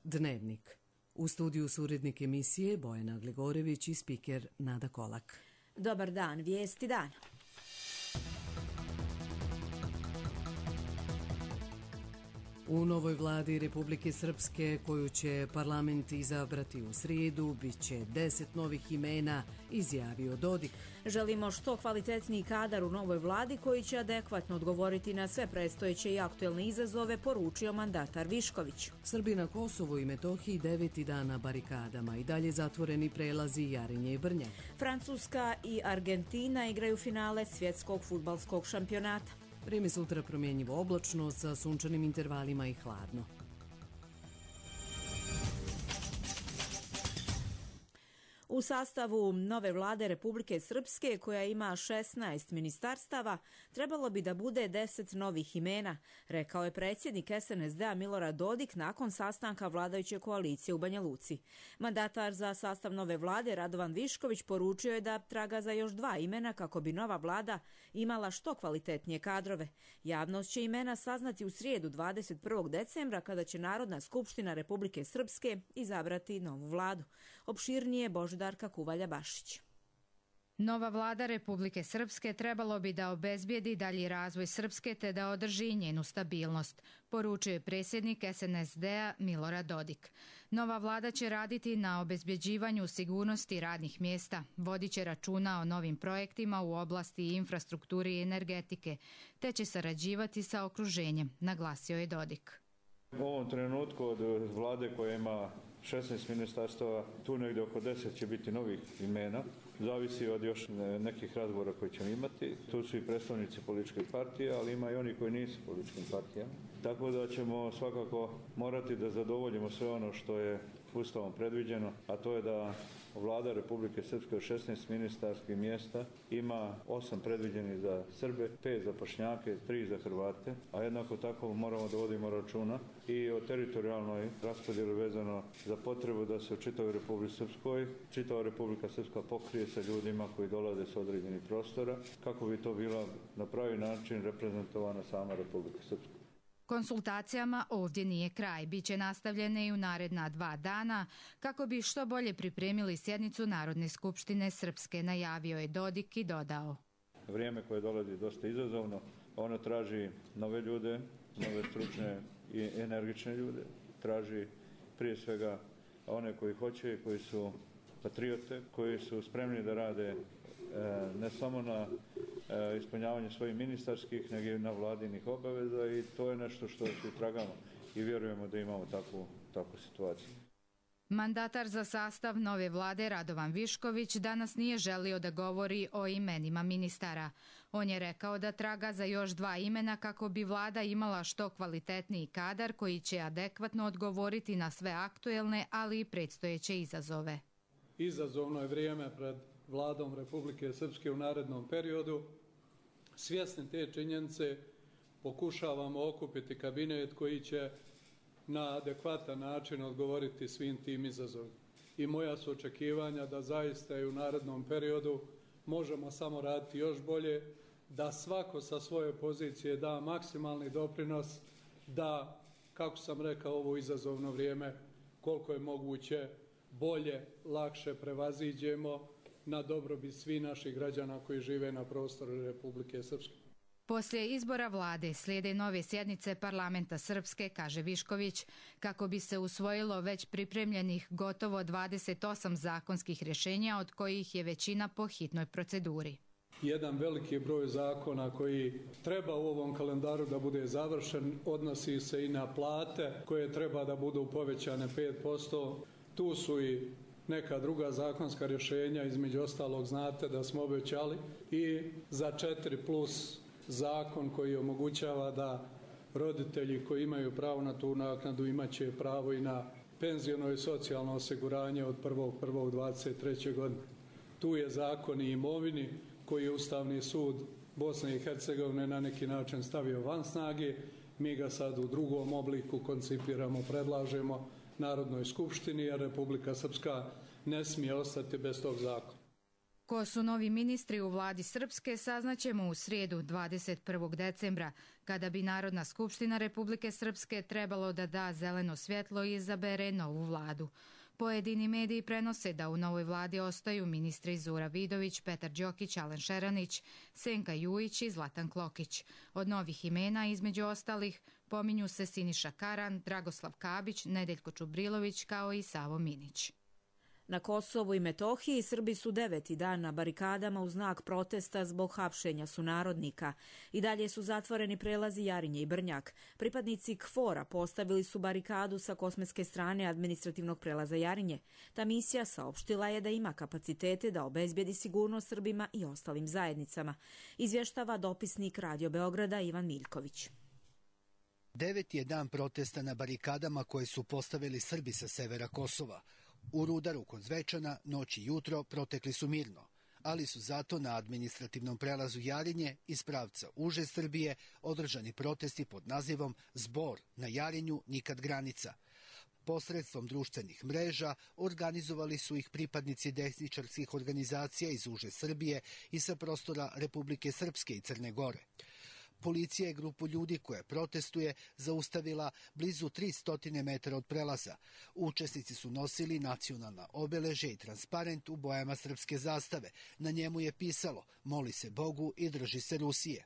Dnevnik. U studiju su urednik emisije Bojana Glegorević i spiker Nada Kolak. Dobar dan, vijesti dana. U novoj vladi Republike Srpske, koju će parlament izabrati u srijedu, bit će 10 novih imena, izjavio Dodik. Želimo što kvalitetniji kadar u novoj vladi koji će adekvatno odgovoriti na sve predstojeće i aktuelne izazove, poručio mandatar Višković. Srbi na Kosovu i Metohiji 9. dan na barikadama i dalje zatvoreni prelazi Jarinje i Brnjak. Francuska i Argentina igraju finale svjetskog fudbalskog šampionata. Vrijeme sutra promjenjivo oblačno sa sunčanim intervalima i hladno. U sastavu nove vlade Republike Srpske, koja ima 16 ministarstava, trebalo bi da bude 10 novih imena, rekao je predsjednik SNSD-a Milorad Dodik nakon sastanka vladajuće koalicije u Banja Luci. Mandatar za sastav nove vlade Radovan Višković poručio je da traga za još 2 imena kako bi nova vlada imala što kvalitetnije kadrove. Javnost će imena saznati u srijedu 21. decembra kada će Narodna skupština Republike Srpske izabrati novu vladu. Opširnije Božidarka Kuvalja-Bašić. Nova vlada Republike Srpske trebalo bi da obezbijedi dalji razvoj Srpske te da održi njenu stabilnost, poručio je predsjednik SNSD-a Milorad Dodik. Nova vlada će raditi na obezbjeđivanju sigurnosti radnih mjesta, vodit će računa o novim projektima u oblasti infrastrukture i energetike, te će sarađivati sa okruženjem, naglasio je Dodik. U ovom trenutku od vlade koja ima 16 ministarstava, tu negdje oko 10 će biti novih imena. Zavisi od još nekih razgovora koje ćemo imati. Tu su i predstavnici političkih partija, ali ima i oni koji nisu političkim partijama. Tako da ćemo svakako morati da zadovoljimo sve ono što je Ustavom predviđeno, a to je da vlada Republike Srpske od 16 ministarskih mjesta ima 8 predviđenih za Srbe, 5 za Bošnjake, 3 za Hrvate, a jednako tako moramo da vodimo računa i o teritorijalnoj raspodjeli vezano za potrebu da se u čitavoj Republici Srpskoj, čitava Republika Srpska pokrije sa ljudima koji dolaze s određenih prostora, kako bi to bila na pravi način reprezentovana sama Republika Srpska. Konsultacijama ovdje nije kraj, bit će nastavljene i u naredna 2 dana kako bi što bolje pripremili sjednicu Narodne skupštine Srpske, najavio je Dodik i dodao. Vrijeme koje dolazi dosta izazovno, ono traži nove ljude, nove stručne i energične ljude, traži prije svega one koji hoće i koji su patriote, koji su spremni da rade ne samo na ispunjavanju svojih ministarskih, nego i na vladinih obaveza i to je nešto što svi tragamo i vjerujemo da imamo takvu situaciju. Mandatar za sastav nove vlade Radovan Višković danas nije želio da govori o imenima ministara. On je rekao da traga za još 2 imena kako bi vlada imala što kvalitetniji kadar koji će adekvatno odgovoriti na sve aktuelne, ali i predstojeće izazove. Izazovno je vrijeme pred vladom Republike Srpske u narednom periodu. Svjesni te činjenice pokušavamo okupiti kabinet koji će na adekvatan način odgovoriti svim tim izazovima. I moja su očekivanja da zaista i u narednom periodu možemo samo raditi još bolje, da svako sa svoje pozicije da maksimalni doprinos, da, kako sam rekao, ovo izazovno vrijeme koliko je moguće bolje, lakše prevaziđemo na dobrobit svih naših građana koji žive na prostoru Republike Srpske. Poslije izbora vlade slijede nove sjednice parlamenta Srpske, kaže Višković, kako bi se usvojilo već pripremljenih gotovo 28 zakonskih rješenja, od kojih je većina po hitnoj proceduri. Jedan veliki broj zakona koji treba u ovom kalendaru da bude završen odnosi se i na plate koje treba da budu povećane 5%. Tu su i neka druga zakonska rješenja, između ostalog znate da smo obećali i za 4+ zakon koji omogućava da roditelji koji imaju pravo na tu naknadu imat će pravo i na penziono i socijalno osiguranje od 1.1.23. godine. Tu je zakon i imovini koji je Ustavni sud Bosne i Hercegovine na neki način stavio van snage. Mi ga sad u drugom obliku koncipiramo, predlažemo Narodnoj skupštini, a Republika Srpska ne smije ostati bez tog zakona. Ko su novi ministri u vladi Srpske saznaćemo u srijedu 21. decembra, kada bi Narodna skupština Republike Srpske trebalo da da zeleno svjetlo i izabere novu vladu. Pojedini mediji prenose da u novoj vladi ostaju ministri Zura Vidović, Petar Đokić, Alen Šeranić, Senka Jujić i Zlatan Klokić. Od novih imena, između ostalih, pominju se Siniša Karan, Dragoslav Kabić, Nedeljko Čubrilović kao i Savo Minić. Na Kosovu i Metohiji Srbi su 9. dan na barikadama u znak protesta zbog hapšenja sunarodnika. I dalje su zatvoreni prelazi Jarinje i Brnjak. Pripadnici KFOR-a postavili su barikadu sa kosmetske strane administrativnog prelaza Jarinje. Ta misija saopštila je da ima kapacitete da obezbijedi sigurnost Srbima i ostalim zajednicama. Izvještava dopisnik Radio Beograda Ivan Miljković. 9. je dan protesta na barikadama koje su postavili Srbi sa severa Kosova. U Rudaru kod Zvečana noć i jutro protekli su mirno, ali su zato na administrativnom prelazu Jarinje iz pravca uže Srbije održani protesti pod nazivom Zbor na Jarinju nikad granica. Posredstvom društvenih mreža organizovali su ih pripadnici desničarskih organizacija iz uže Srbije i sa prostora Republike Srpske i Crne Gore. Policija je grupu ljudi koja protestuje zaustavila blizu 300 metara od prelaza. Učesnici su nosili nacionalna obeležja i transparent u bojama srpske zastave. Na njemu je pisalo "Moli se Bogu i drži se Rusije".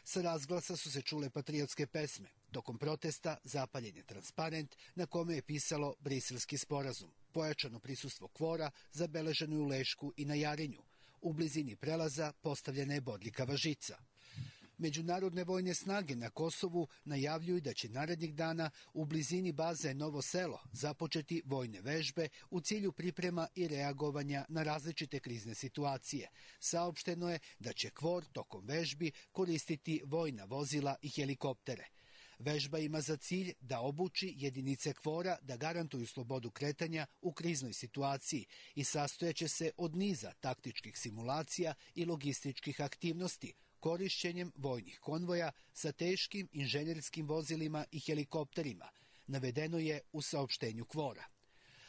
Sa razglasa su se čule patriotske pesme. Tokom protesta zapaljen je transparent na kome je pisalo Briselski sporazum. Pojačano prisustvo KFOR-a zabeleženo je u Lešku i na Jarinju. U blizini prelaza postavljena je bodljikava žica. Međunarodne vojne snage na Kosovu najavljuju da će narednih dana u blizini baze Novo Selo započeti vojne vežbe u cilju priprema i reagovanja na različite krizne situacije. Saopšteno je da će KFOR tokom vežbi koristiti vojna vozila i helikoptere. Vežba ima za cilj da obuči jedinice KFOR-a da garantuju slobodu kretanja u kriznoj situaciji i sastojaće se od niza taktičkih simulacija i logističkih aktivnosti, korišćenjem vojnih konvoja sa teškim inženjerskim vozilima i helikopterima, navedeno je u saopštenju KFOR-a.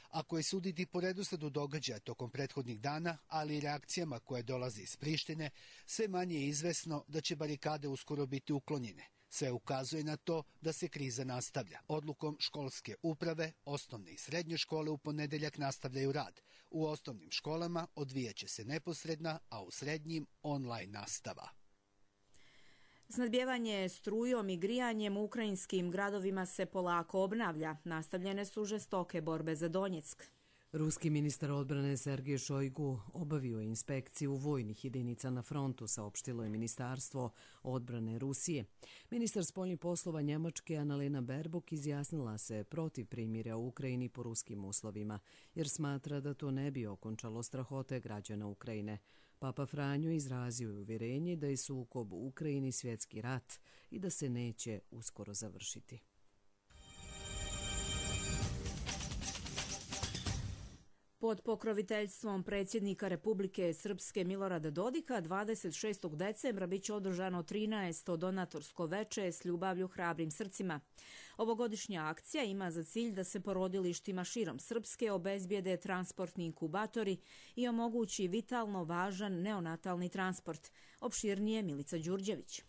Ako je suditi po redosledu događaja tokom prethodnih dana, ali i reakcijama koje dolaze iz Prištine, sve manje je izvesno da će barikade uskoro biti uklonjene. Sve ukazuje na to da se kriza nastavlja. Odlukom školske uprave, osnovne i srednje škole u ponedeljak nastavljaju rad. U osnovnim školama odvijaće se neposredna, a u srednjim online nastava. Snadbijevanje strujom i grijanjem u ukrajinskim gradovima se polako obnavlja. Nastavljene su žestoke borbe za Donjeck. Ruski ministar odbrane Sergej Šojgu obavio je inspekciju vojnih jedinica na frontu, saopštilo je Ministarstvo odbrane Rusije. Ministar spoljnih poslova Njemačke Annalena Baerbock izjasnila se protiv primirja u Ukrajini po ruskim uslovima, jer smatra da to ne bi okončalo strahote građana Ukrajine. Papa Franjo izrazio je uvjerenje da je sukob u Ukrajini svjetski rat i da se neće uskoro završiti. Pod pokroviteljstvom predsjednika Republike Srpske Milorada Dodika 26. decembra biće održano 13. donatorsko veče s ljubavlju hrabrim srcima. Ovogodišnja akcija ima za cilj da se porodilištima širom Srpske obezbijede transportni inkubatori i omogući vitalno važan neonatalni transport. Opširnije Milica Đurđević.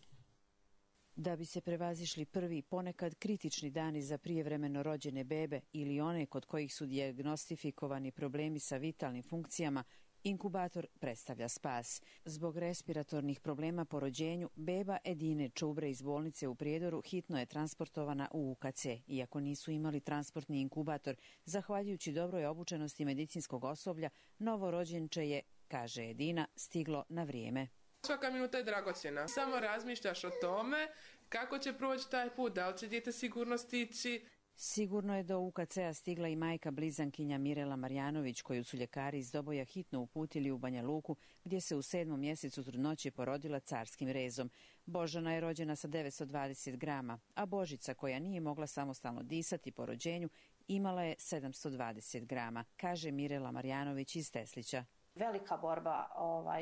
Da bi se prevazišli prvi, ponekad kritični dani za prijevremeno rođene bebe ili one kod kojih su dijagnostifikovani problemi sa vitalnim funkcijama, inkubator predstavlja spas. Zbog respiratornih problema po rođenju, beba Edine Čubre iz bolnice u Prijedoru hitno je transportovana u UKC. Iako nisu imali transportni inkubator, zahvaljujući dobroj obučenosti medicinskog osoblja, novorođenče je, kaže Edina, stiglo na vrijeme. Svaka minuta je dragocjena. Samo razmišljaš o tome kako će proći taj put, da li će dijete sigurno stići. Sigurno je do UKC-a stigla i majka blizankinja Mirela Marjanović, koju su ljekari iz Doboja hitno uputili u Banja Luku, gdje se u 7. mjesecu trudnoće porodila carskim rezom. Božana je rođena sa 920 grama, a Božica, koja nije mogla samostalno disati po rođenju, imala je 720 grama, kaže Mirela Marjanović iz Teslića. Velika borba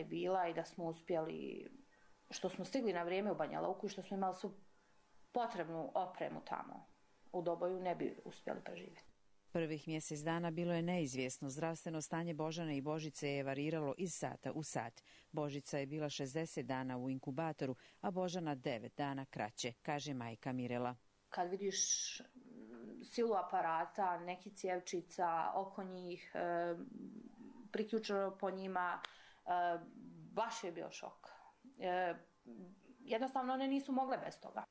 bila i da smo uspjeli, što smo stigli na vrijeme u Banja Luku i što smo imali svu potrebnu opremu tamo. U Doboju ne bi uspjeli preživjeti. Prvih mjesec dana bilo je neizvjesno. Zdravstveno stanje Božane i Božice je variralo iz sata u sat. Božica je bila 60 dana u inkubatoru, a Božana 9 dana kraće, kaže majka Mirela. Kad vidiš silu aparata, nekih cjevčica oko njih, priključeno po njima, baš je bio šok. Jednostavno one nisu mogle bez toga.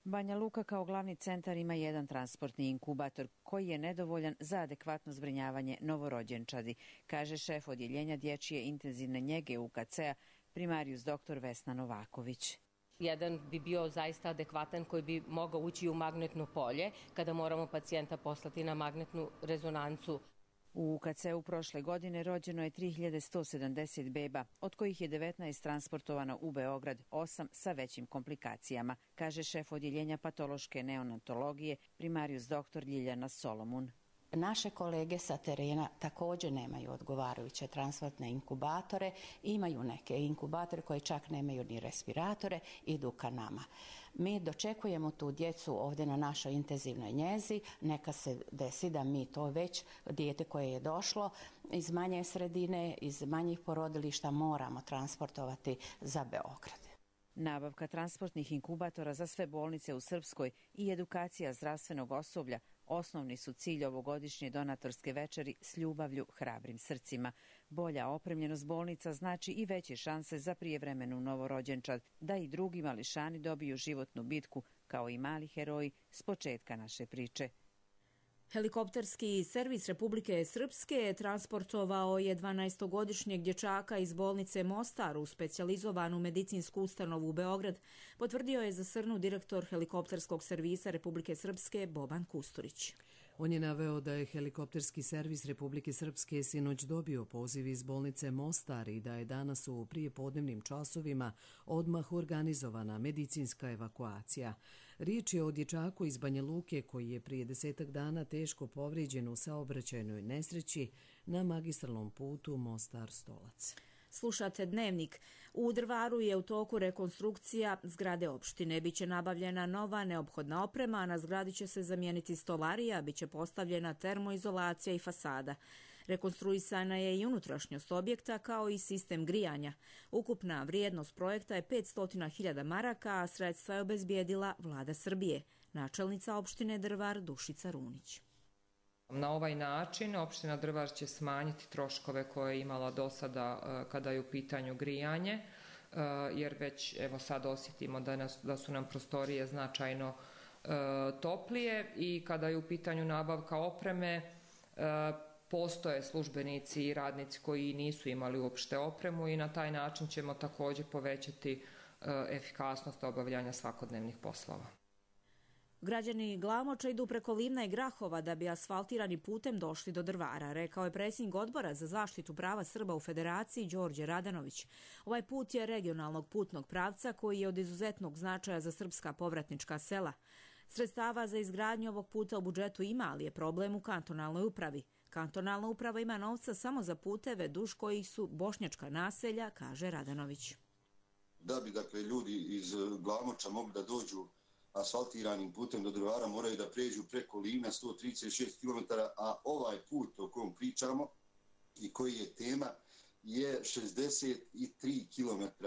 Banja Luka kao glavni centar ima jedan transportni inkubator koji je nedovoljan za adekvatno zbrinjavanje novorođenčadi, kaže šef odjeljenja dječje intenzivne njege UKC-a primarijus dr. Vesna Novaković. Jedan bi bio zaista adekvatan koji bi mogao ući u magnetno polje kada moramo pacijenta poslati na magnetnu rezonancu. U UKC-u prošle godine rođeno je 3170 beba, od kojih je 19 transportovano u Beograd, 8 sa većim komplikacijama, kaže šef odjeljenja patološke neonatologije primarijus dr. Ljiljana Solomun. Naše kolege sa terena također nemaju odgovarajuće transportne inkubatore, imaju neke inkubatore koji čak nemaju ni respiratore, idu ka nama. Mi dočekujemo tu djecu ovdje na našoj intenzivnoj njezi, neka se desi da mi to već dijete koje je došlo iz manje sredine, iz manjih porodilišta moramo transportovati za Beograd. Nabavka transportnih inkubatora za sve bolnice u Srpskoj i edukacija zdravstvenog osoblja osnovni su cilj ovogodišnje donatorske večeri s ljubavlju, hrabrim srcima. Bolja opremljenost bolnica znači i veće šanse za prijevremenu novorođenčad, da i drugi mališani dobiju životnu bitku, kao i mali heroji s početka naše priče. Helikopterski servis Republike Srpske transportovao je 12-godišnjeg dječaka iz bolnice Mostar u specijalizovanu medicinsku ustanovu u Beograd, potvrdio je za Srnu direktor helikopterskog servisa Republike Srpske Boban Kusturić. On je naveo da je helikopterski servis Republike Srpske sinoć dobio poziv iz bolnice Mostar i da je danas u prijepodnevnim časovima odmah organizovana medicinska evakuacija. Riječ je o dječaku iz Banja Luke koji je prije 10 dana teško povrijeđen u saobraćajnoj nesreći na magistralnom putu Mostar-Stolac. Slušate Dnevnik. U Drvaru je u toku rekonstrukcija zgrade opštine. Biće nabavljena nova neophodna oprema, a na zgradi će se zamijeniti stolarija, biće postavljena termoizolacija i fasada. Rekonstruisana je i unutrašnjost objekta kao i sistem grijanja. Ukupna vrijednost projekta je 500.000 maraka, a sredstva je obezbijedila Vlada Srbije. Načelnica opštine Drvar Dušica Runić. Na ovaj način opština Drvar će smanjiti troškove koje je imala do sada kada je u pitanju grijanje, jer već evo sad osjetimo da su nam prostorije značajno toplije i kada je u pitanju nabavka opreme, postoje službenici i radnici koji nisu imali uopšte opremu i na taj način ćemo također povećati efikasnost obavljanja svakodnevnih poslova. Građani Glamoča idu preko Livna i Grahova da bi asfaltirani putem došli do Drvara, rekao je predsjednik Odbora za zaštitu prava Srba u Federaciji Đorđe Radanović. Ovaj put je regionalnog putnog pravca koji je od izuzetnog značaja za srpska povratnička sela. Sredstava za izgradnju ovog puta u budžetu ima, ali je problem u kantonalnoj upravi. Kantonalna uprava ima novca samo za puteve duž kojih su bošnjačka naselja, kaže Radanović. Da bi ljudi iz Glamoča mogli da dođu asfaltiranim putem do Drvara, moraju da pređu preko Livna 136 km, a ovaj put o kojem pričamo i koji je tema je 63 km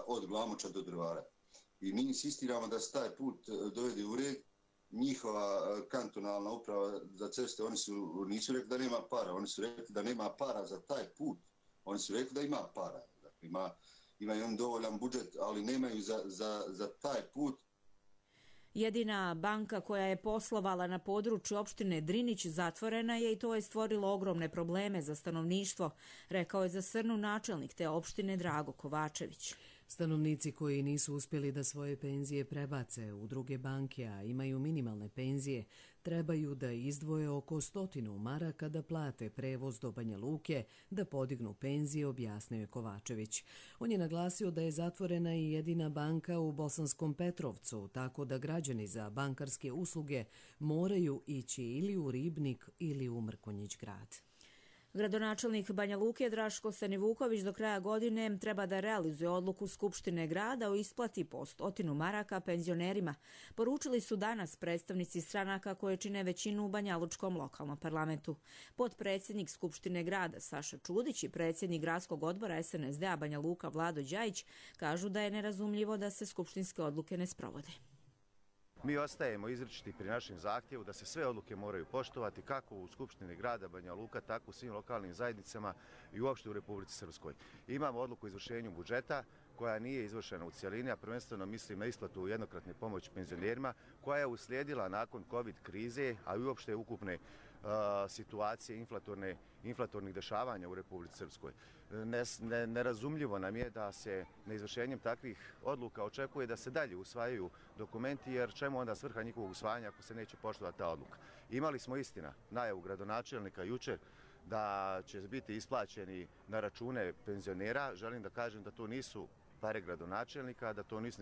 od Glamoča do Drvara. I mi insistiramo da se taj put dovede u red. Njihova kantonalna uprava za ceste, oni nisu rekli da nema para, oni su rekli da nema para za taj put. Oni su rekli da ima para. Dakle, imaju on dovoljan budžet, ali nemaju za taj put. Jedina banka koja je poslovala na području opštine Drinić zatvorena je i to je stvorilo ogromne probleme za stanovništvo, rekao je za Srnu načelnik te opštine Drago Kovačević. Stanovnici koji nisu uspjeli da svoje penzije prebace u druge banke, a imaju minimalne penzije, trebaju da izdvoje oko 100 maraka da plate prevoz do Banja Luke, da podignu penzije, objasnio je Kovačević. On je naglasio da je zatvorena i jedina banka u Bosanskom Petrovcu, tako da građani za bankarske usluge moraju ići ili u Ribnik ili u Mrkonjić grad. Gradonačelnik Banja Luke Draško Stanivuković do kraja godine treba da realizuje odluku Skupštine grada o isplati po 100 maraka penzionerima. Poručili su danas predstavnici stranaka koje čine većinu u banjalučkom lokalnom parlamentu. Potpredsjednik Skupštine grada Saša Čudić i predsjednik gradskog odbora SNSD-a Banja Luka Vlado Đajić kažu da je nerazumljivo da se skupštinske odluke ne sprovode. Mi ostajemo izričiti pri našem zahtjevu da se sve odluke moraju poštovati kako u Skupštini grada Banja Luka, tako u svim lokalnim zajednicama i uopšte u Republici Srpskoj. Imamo odluku o izvršenju budžeta koja nije izvršena u cijelini, a prvenstveno mislim na isplatu jednokratne pomoći penzionerima koja je uslijedila nakon COVID krize, a i uopšte ukupne situacije inflatornih dešavanja u Republici Srpskoj. Nerazumljivo nam je da se neizvršenjem takvih odluka očekuje da se dalje usvajaju dokumenti, jer čemu onda svrha njihovog usvajanja ako se neće poštovati ta odluka. Imali smo istina najavu gradonačelnika jučer da će biti isplaćeni na račune penzionera. Želim da kažem da to nisu pare gradonačelnika, da to nisu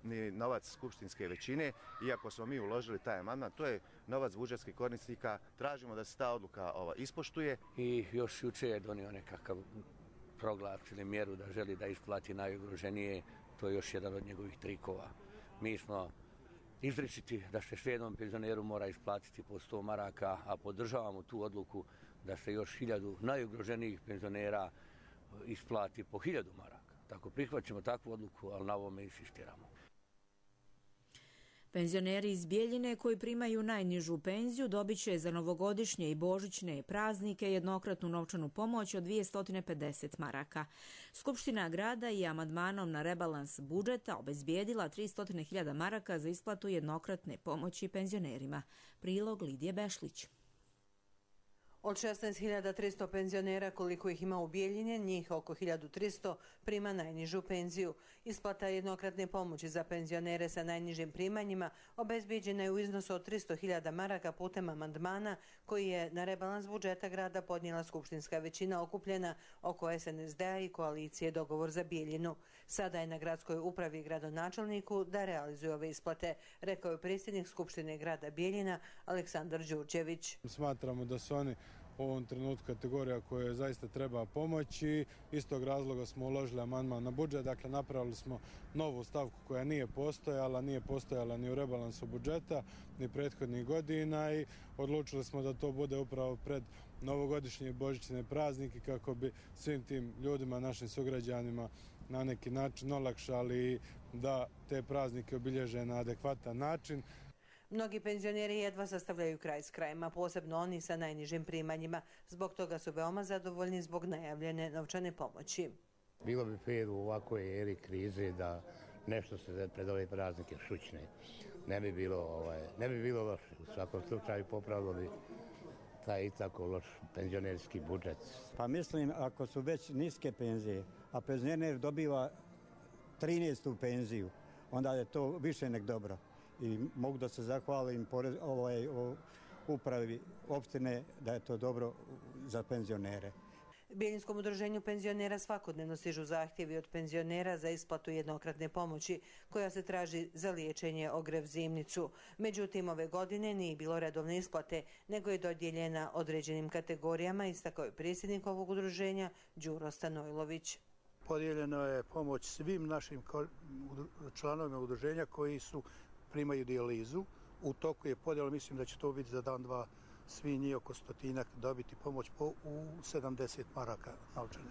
ni novac skupštinske većine. Iako smo mi uložili taj amandman, to je novac budžetskih korisnika. Tražimo da se ta odluka ispoštuje. I još jučer je donio nekakav proglas ili mjeru da želi da isplati najugroženije. To je još jedan od njegovih trikova. Mi smo izričiti da se jednom penzioneru mora isplatiti po 100 maraka, a podržavamo tu odluku da se još 1000 najugroženijih penzionera isplati po 1000 maraka. Tako prihvaćamo takvu odluku, ali na ovome insistiramo. Penzioneri iz Bijeljine koji primaju najnižu penziju dobit će za novogodišnje i božićne praznike jednokratnu novčanu pomoć od 250 maraka. Skupština grada je amandmanom na rebalans budžeta obezbijedila 300.000 maraka za isplatu jednokratne pomoći penzionerima. Prilog Lidije Bešlić. Od 16.300 penzionera koliko ih ima u Bijeljine, njih oko 1.300 prima najnižu penziju. Isplata jednokratne pomoći za penzionere sa najnižim primanjima obezbijeđena je u iznosu od 300.000 maraka putem amandmana koji je na rebalans budžeta grada podnijela skupštinska većina okupljena oko SNSD-a i koalicije Dogovor za Bijeljinu. Sada je na gradskoj upravi i gradonačelniku da realizuje ove isplate, rekao je predsjednik Skupštine grada Bijeljina Aleksandar Đurđević. Smatramo da su oni u ovom trenutku kategorija koja zaista treba pomoći. Iz tog razloga smo uložili amandman na budžet, dakle napravili smo novu stavku koja nije postojala ni u rebalansu budžeta, ni prethodnih godina i odlučili smo da to bude upravo pred novogodišnje i božićne praznike kako bi svim tim ljudima, našim sugrađanima na neki način olakšali da te praznike obilježe na adekvatan način. Mnogi penzioneri jedva sastavljaju kraj s krajem, a posebno oni sa najnižim primanjima. Zbog toga su veoma zadovoljni zbog najavljene novčane pomoći. Bilo bi fer u ovakvoj eri krize da nešto se pred ove praznike šućne. Ne bi bilo loše. U svakom slučaju popravilo bi taj i tako loš penzionerski budžet. Pa mislim, ako su već niske penzije, a penzioner dobiva 13. penziju, onda je to više nek dobro. I mogu da se zahvalim upravi opštine da je to dobro za penzionere. Bijeljinskom udruženju penzionera svakodnevno stižu zahtjevi od penzionera za isplatu jednokratne pomoći koja se traži za liječenje, ogrev, zimnicu. Međutim, ove godine nije bilo redovne isplate, nego je dodijeljena određenim kategorijama, istakao je predsjednik ovog udruženja Đuro Stanojlović. Podijeljeno je pomoć svim našim članovima udruženja koji primaju dijalizu. U toku je podjela, mislim da će to biti za dan, dva, svi njih oko 100 dobiti pomoć u 70 maraka novčane.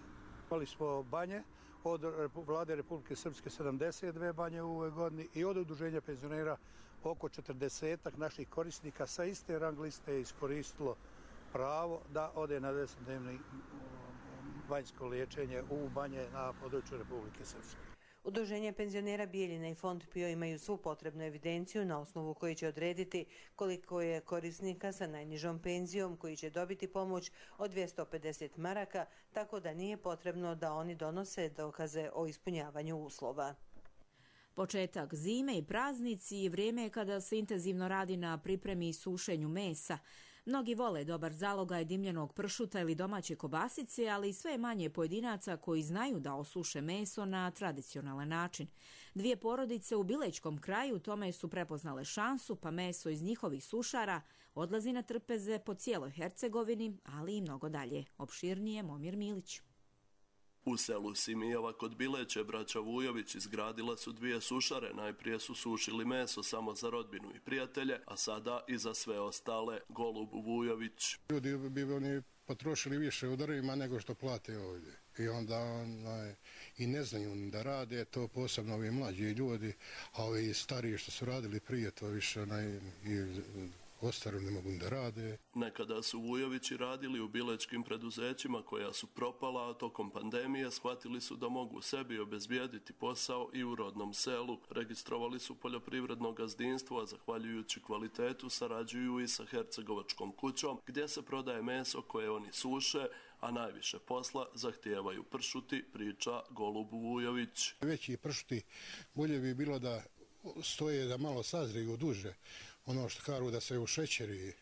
Imali smo banje od vlade Republike Srpske 72 banje u ovoj godini i od udruženja penzionera oko 40 naših korisnika sa iste rang liste je iskoristilo pravo da ode na 10-dnevno banjsko liječenje u banje na području Republike Srpske. Udruženje penzionera Bijeljina i Fond PIO imaju svu potrebnu evidenciju na osnovu koji će odrediti koliko je korisnika sa najnižom penzijom koji će dobiti pomoć od 250 maraka, tako da nije potrebno da oni donose dokaze o ispunjavanju uslova. Početak zime i praznici je vrijeme kada se intenzivno radi na pripremi i sušenju mesa. Mnogi vole dobar zalogaj dimljenog pršuta ili domaće kobasice, ali i sve manje pojedinaca koji znaju da osuše meso na tradicionalan način. Dvije porodice u Bilećkom kraju tome su prepoznale šansu, pa meso iz njihovih sušara Odlazi na trpeze po cijeloj Hercegovini, ali i mnogo dalje. Opširnije Momir Milić. U selu Simijeva kod Bileće braća Vujović izgradila su 2 sušare. Najprije su sušili meso samo za rodbinu i prijatelje, a sada i za sve ostale. Golub Vujović. Ljudi bi oni potrošili više u drvima nego što plate ovdje. I onda i ne znaju da rade, to posebno ovi mlađi ljudi, a ovi stariji što su radili prije, to više ostaro ne mogu da rade. Nekada su Vujovići radili u bilečkim preduzećima koja su propala, a tokom pandemije shvatili su da mogu sebi obezbijediti posao i u rodnom selu. Registrovali su poljoprivredno gazdinstvo, a zahvaljujući kvalitetu sarađuju i sa Hercegovačkom kućom, gdje se prodaje meso koje oni suše, a najviše posla zahtijevaju pršuti, priča Golub Vujović. Veći pršuti bolje bi bilo da stoje, da malo sazriju duže, ono što kažu da se u šećeri,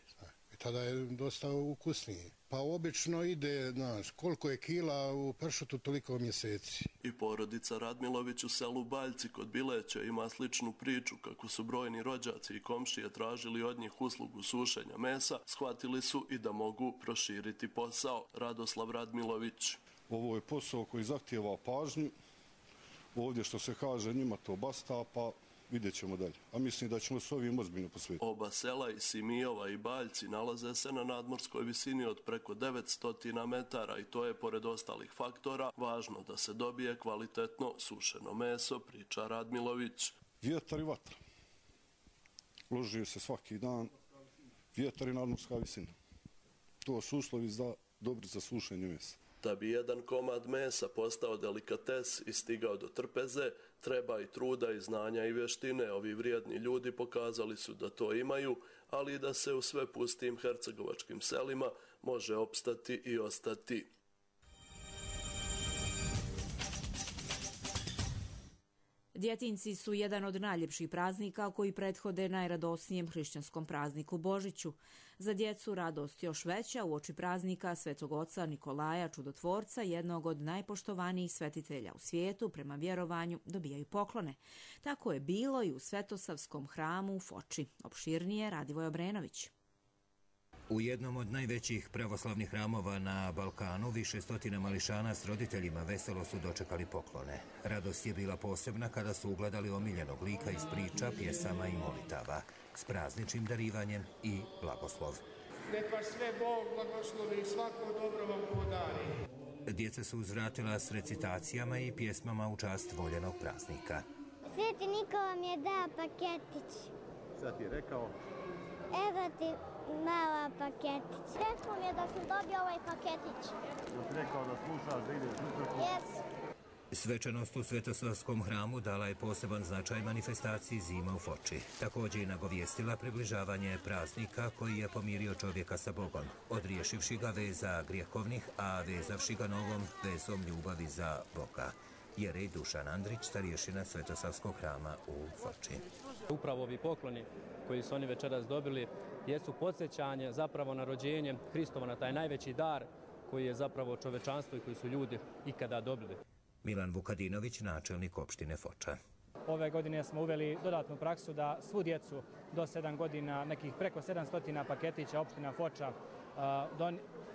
i tada je dosta ukusniji. Pa obično ide, koliko je kila u pršutu, toliko mjeseci. I porodica Radmilović u selu Baljci kod Bileća ima sličnu priču. Kako su brojni rođaci i komšije tražili od njih uslugu sušenja mesa, shvatili su i da mogu proširiti posao. Radoslav Radmilović. Ovo je posao koji zahtijeva pažnju. Ovdje što se kaže njima to basta, pa vidjet ćemo dalje. A mislim da ćemo s ovim ozbiljno posvetiti. Oba sela i Simijova i Baljci nalaze se na nadmorskoj visini od preko 900 metara i to je, pored ostalih faktora, važno da se dobije kvalitetno sušeno meso, priča Radmilović. Vjetar i vatra. Loži se svaki dan. Vjetar i nadmorska visina. To su uslovi dobri za sušenje mesa. Da bi jedan komad mesa postao delikates i stigao do trpeze, treba i truda i znanja i vještine. Ovi vrijedni ljudi pokazali su da to imaju, ali i da se u sve pustim hercegovačkim selima može opstati i ostati. Djetinjci su jedan od najljepših praznika koji prethode najradosnijem hrišćanskom prazniku Božiću. Za djecu radost još veća uoči praznika Svetog oca Nikolaja Čudotvorca, jednog od najpoštovanijih svetitelja u svijetu, prema vjerovanju dobijaju poklone. Tako je bilo i u Svetosavskom hramu u Foči. Opširnije Radivoj Obrenović. U jednom od najvećih pravoslavnih hramova na Balkanu više stotina mališana s roditeljima veselo su dočekali poklone. Radost je bila posebna kada su ugledali omiljenog lika iz priča, pjesama i molitava, s prazničnim darivanjem i blagoslov. Nek vas sve Bog blagoslovi i svako dobro vam podari. Djeca su uzvratila s recitacijama i pjesmama u čast voljenog praznika. Sveti Nikola mi je dao paketić. Šta ti je rekao? Evo ti mala paketić. Rekao mi je da sam dobio ovaj paketić. Da ti rekao da slušaš, da ideš u crkvu? Yes. Svečanost u Svetosavskom hramu dala je poseban značaj manifestaciji Zima u Foči. Također je nagovijestila približavanje praznika koji je pomirio čovjeka sa Bogom, odriješivši ga veza grijehovnih, a vezavši ga novom vezom ljubavi za Boga. Jerej Dušan Andrić, starješina Svetosavskog hrama u Foči. Upravo ovi pokloni koji su oni večeras dobili jesu podsjećanje zapravo na rođenje Hristova, na taj najveći dar koji je zapravo čovečanstvo i koji su ljudi ikada dobili. Milan Vukadinović, načelnik opštine Foča. Ove godine smo uveli dodatnu praksu da svu djecu do 7 godina, nekih preko 700 paketića opština Foča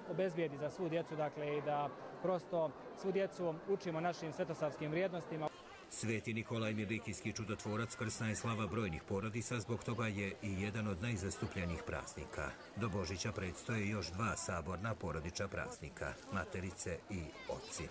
obezbijedi za svu djecu, dakle i da prosto svu djecu učimo našim svetosavskim vrijednostima. Sveti Nikolaj Milikijski čudotvorac krsna je slava brojnih porodica, zbog toga je i jedan od najzastupljenijih praznika. Do Božića predstoje još 2 saborna porodična praznika, materice i oci.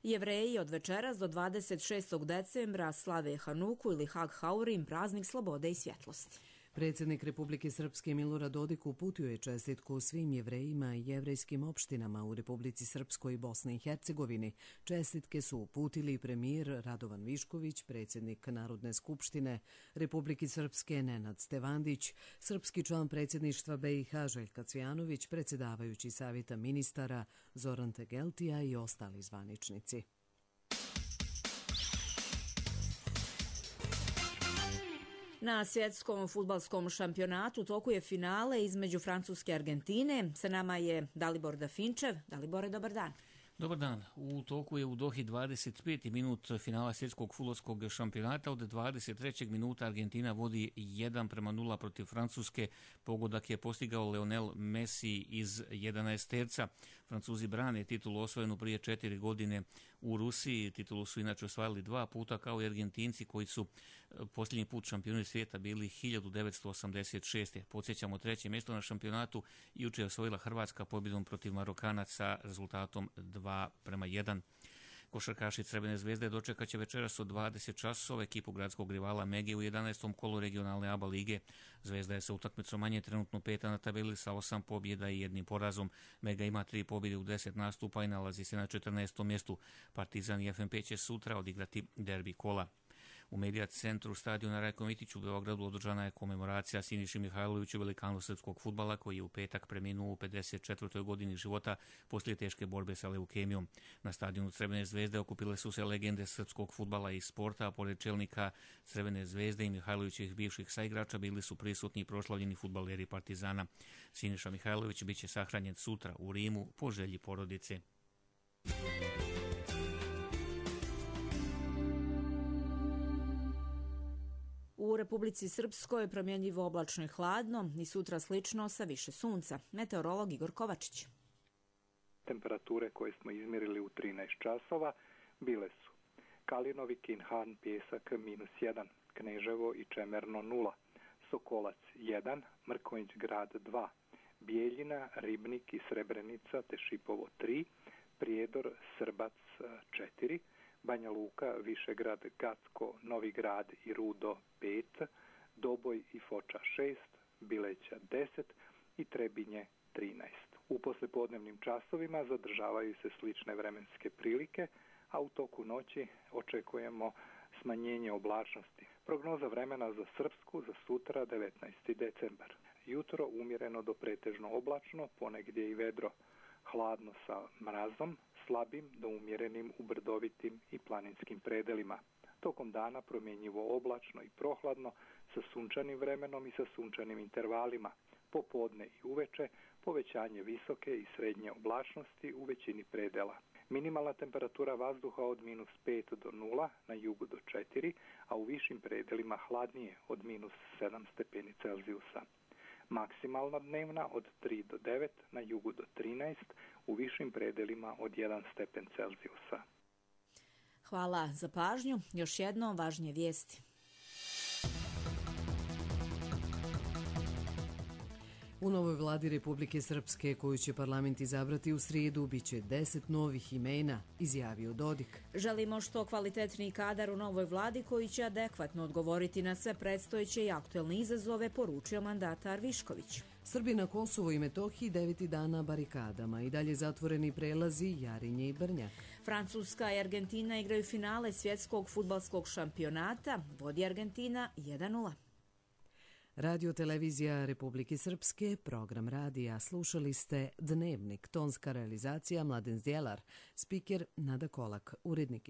Jevreji od večeras do 26. decembra slave Hanuku ili Hag Haurim, praznik slobode i svjetlosti. Predsjednik Republike Srpske Milorad Dodik uputio je čestitku svim Jevrejima i jevrejskim opštinama u Republici Srpskoj i Bosni i Hercegovini. Čestitke su uputili premijer Radovan Višković, predsjednik Narodne skupštine Republike Srpske Nenad Stevandić, srpski član predsjedništva BiH Željka Cvijanović, predsjedavajući savjeta ministara Zoran Tegeltija i ostali zvaničnici. Na svjetskom fudbalskom šampionatu toku je finale između Francuske i Argentine. Sa nama je Dalibor Dafinčev. Dalibore, dobar dan. Dobar dan. U toku je u Dohi 25. minut finala svjetskog fudbalskog šampionata. Od 23. minuta Argentina vodi 1:0 protiv Francuske. Pogodak je postigao Lionel Messi iz 11 terca. Francuzi brane titulu osvojenu prije 4 godine u Rusiji. Titulu su inače osvajali 2 puta kao i Argentinci koji su posljednji put šampioni svijeta bili 1986. Podsjećamo, 3. mjesto na šampionatu jučer je osvojila Hrvatska pobjedom protiv Marokanaca rezultatom 2:1. Košarkaši Crvene zvezde dočekat će večeras od 20 časova ekipu gradskog rivala Mege u 11. kolu regionalne ABA lige. Zvezda je sa utakmicom manje trenutno 5. na tabeli sa 8 pobjeda i 1 porazom. Mega ima 3 pobjede u 10 nastupa i nalazi se na 14. mjestu. Partizan i FNP će sutra odigrati derbi kola. U Medija centru stadiona Rajko Mitić u Beogradu održana je komemoracija Siniši Mihajloviću, velikanu srpskog fudbala koji je u petak preminuo u 54. godini života poslije teške borbe sa leukemijom. Na stadionu Crvene zvezde okupile su se legende srpskog fudbala i sporta, a pored čelnika Crvene zvezde i Mihajlovićih bivših saigrača bili su prisutni i proslavljeni fudbaleri Partizana. Siniša Mihajlović biće sahranjen sutra u Rimu po želji porodice. U Republici Srpskoj promjenjivo oblačno i hladno i sutra slično sa više sunca. Meteorolog Igor Kovačić. Temperature koje smo izmjerili u 13 časova bile su Kalinovi, Kinhan, Pjesak -1, Kneževo i Čemerno 0, Sokolac 1, Mrkonjić grad 2, Bijeljina, Ribnik i Srebrenica te Šipovo 3, Prijedor, Srbac 4, Banja Luka, Višegrad, Gacko, Novi Grad i Rudo 5, Doboj i Foča 6, Bileća 10 i Trebinje 13. U poslijepodnevnim časovima zadržavaju se slične vremenske prilike, a u toku noći očekujemo smanjenje oblačnosti. Prognoza vremena za Srpsku za sutra 19. decembar. Jutro umjereno do pretežno oblačno, ponegdje i vedro. Hladno sa mrazom, slabim do umjerenim u brdovitim i planinskim predelima. Tokom dana promjenjivo oblačno i prohladno sa sunčanim vremenom i sa sunčanim intervalima. Popodne i uveče povećanje visoke i srednje oblačnosti u većini predela. Minimalna temperatura vazduha od -5 do 0, na jugu do 4, a u višim predelima hladnije od -7 stepeni Celzijusa. Maksimalna dnevna od 3 do 9, na jugu do 13, u višim predelima od 1 stepen Celzijusa. Hvala za pažnju. Još jedno važnije vijesti. U novoj vladi Republike Srpske, koju će parlament izabrati u srijedu, biće 10 novih imena, izjavio Dodik. Želimo što kvalitetniji kadar u novoj vladi koji će adekvatno odgovoriti na sve predstojeće i aktuelne izazove, poručio mandatar Višković. Srbi na Kosovu i Metohiji 9. dana barikadama i dalje zatvoreni prelazi Jarinje i Brnjak. Francuska i Argentina igraju finale svjetskog fudbalskog šampionata, vodi Argentina 1:0. Radio televizija Republike Srpske, program radija. Slušali ste Dnevnik, tonska realizacija Mladen Zdjelar, spiker Nada Kolak, urednik